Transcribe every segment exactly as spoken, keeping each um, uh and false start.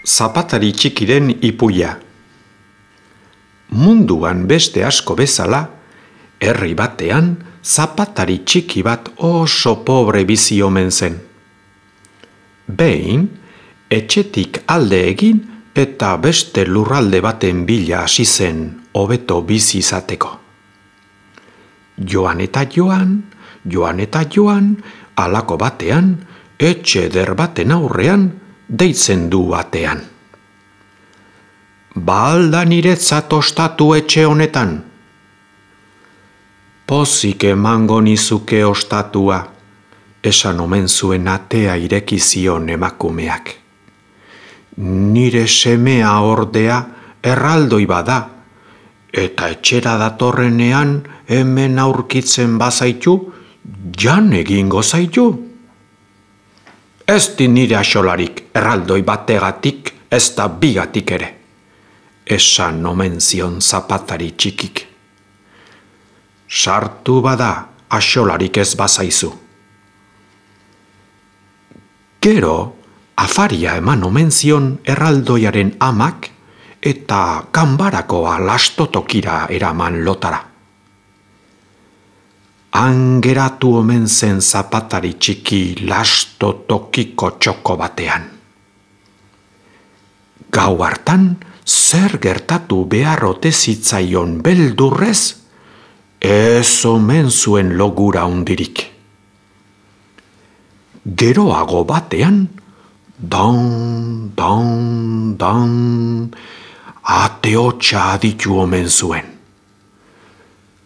Zapatari txikiren ipuia. Munduan beste asko bezala, herri batean zapatari txiki bat oso pobre bizi omen zen. Behin, etxetik alde egin eta beste lurralde baten bila hasi zen hobeto bizi izateko. Joan eta joan, joan eta joan, halako batean, etxe eder baten aurrean, deitzen du batean. Ba alda niretzat ostatu etxe honetan? Pozik emango nizuke ostatua, esan omen zuen atea ireki zion emakumeak. Nire semea ordea erraldoi bada, eta etxera datorrenean hemen aurkitzen bazaitu, jan egingo zaitu. Ez di nire axolarik erraldoi bategatik, ez da bigatik ere, esan omen zion zapatari txikik. Sartu bada axolarik ez bazaizu. Gero, afaria eman omen zion erraldoiaren amak eta ganbarakoa lastotokira eraman lotara. Han geratu omen zen zapatari txiki lastotokiko txoko batean. Gau hartan, zer gertatu behar ote zitzaion beldurrez, ez omen zuen logura hundirik. Geroago batean, dan, dan, dan, ate hotsa aditu omen zuen.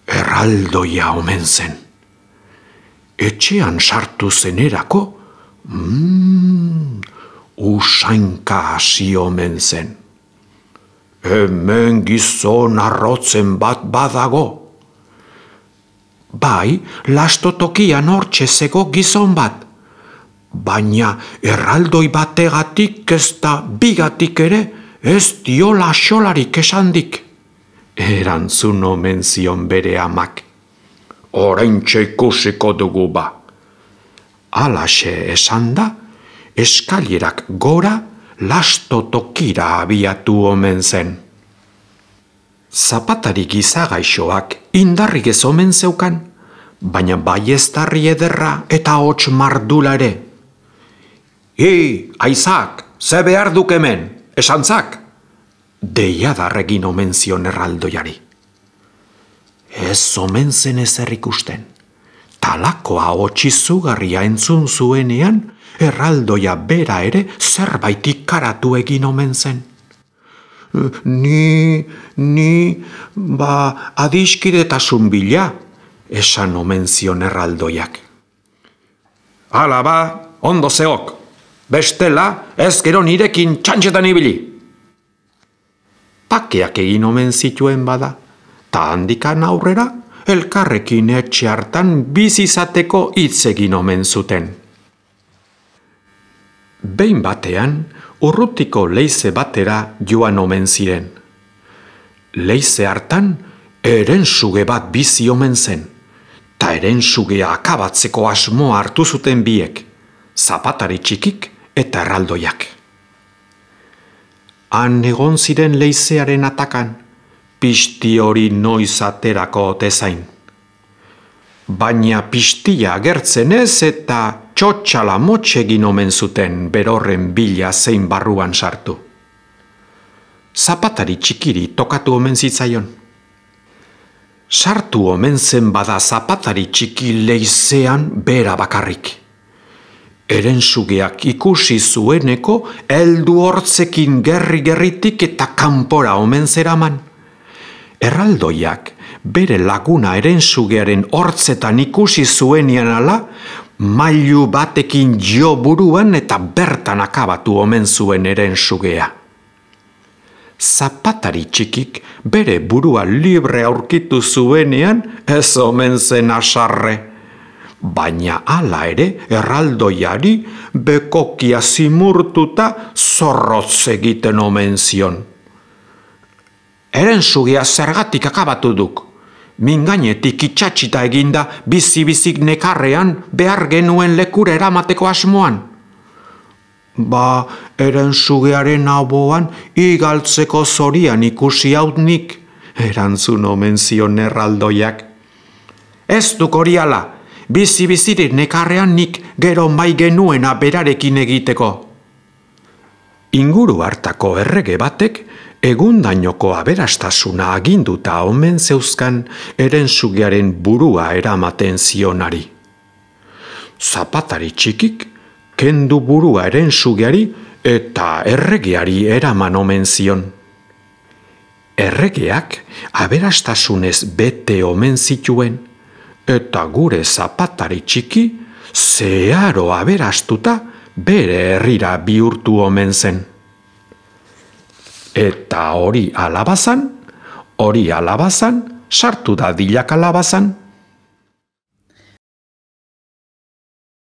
Erraldoia omen zen. Etxean sartu zenerako, mm, usainka hasi omen zen. Hemen gizon arrotzen bat badago. Bai, lastotokian hortxe zego gizon bat, baina erraldoi bategatik ez da bigatik ere ez diola xolarik esandik. Erantzun omen zion bere amak. Oraintxe ikusiko dugu ba. Halaxe esan da, eskailerak gora lastotokira abiatu omen zen. Zapatari gizagaixoak indarrik ez omen zeukan, baina baieztarri ederra eta hots mardula ere. Hi, aizak, ze behar duk hemen, esantzak? Deiadarregin omen zion erraldoiari. Ez omen zen ezer ikusten. Talakoa hotxizugarria entzun zuenean, erraldoia bera ere zerbait ikaratu egin omen zen. Ni, ni, ba, adiskidetasun bila, esan omen zion erraldoiak. Hala ba, ondo zeok, bestela ez gero nirekin txantxetan ibili. Pakeak egin omen zituen bada, ta handikan aurrera, elkarrekin etxe hartan bizizateko hitz egin omen zuten. Behin batean, urrutiko leize batera joan omen ziren. Leize hartan, erensuge bat bizi omen zen, ta erensugea akabatzeko asmoa hartu zuten biek, zapatari txikik eta erraldoiak. Han egon ziren leizearen atakan, pizti hori noiz aterako ote zain. Baina piztia agertzen ez eta txotxala motxe egin omen zuten berorren bila zein barruan sartu. Zapatari txikiri tokatu omen zitzaion. Sartu omen zen bada zapatari txiki leizean bera bakarrik. Erensugeak ikusi zueneko heldu hortzekin gerri-gerritik eta kanpora omen zeraman. Erraldoiak bere laguna erensugearen hortzetan ikusi zuenian ala, mailu batekin jo buruan eta bertan akabatu omen zuen erensugea. Zapatari txikik bere burua libre aurkitu zuenean ez omen zen asarre. Baina hala ere erraldoiari bekokia zimurtuta zorrotz egiten omen zion. Erensugea zergatik akabatu duk. Mingainetik itxatxita eginda bizi-bizik nekarrean behar genuen lekura eramateko asmoan. Ba, eren sugearen aboan igaltzeko zorian ikusi haut nik, erantzun omen zion erraldoiak. Ez duk hori ala, bizi-bizirik nekarrean nik gero mai genuena berarekin egiteko. Inguru hartako errege batek egundainoko aberastasuna aginduta omen zeuzkan eren sugearen burua eramaten zionari. Zapatari txikik kendu burua eren sugeari eta erregeari eraman omen zion. Erregeak aberastasunez bete omen zituen, eta gure zapatari txiki zeharo aberastuta bere herrira bihurtu omen zen. Eta hori alabazan, hori alabazan, sartu da dilak alabazan.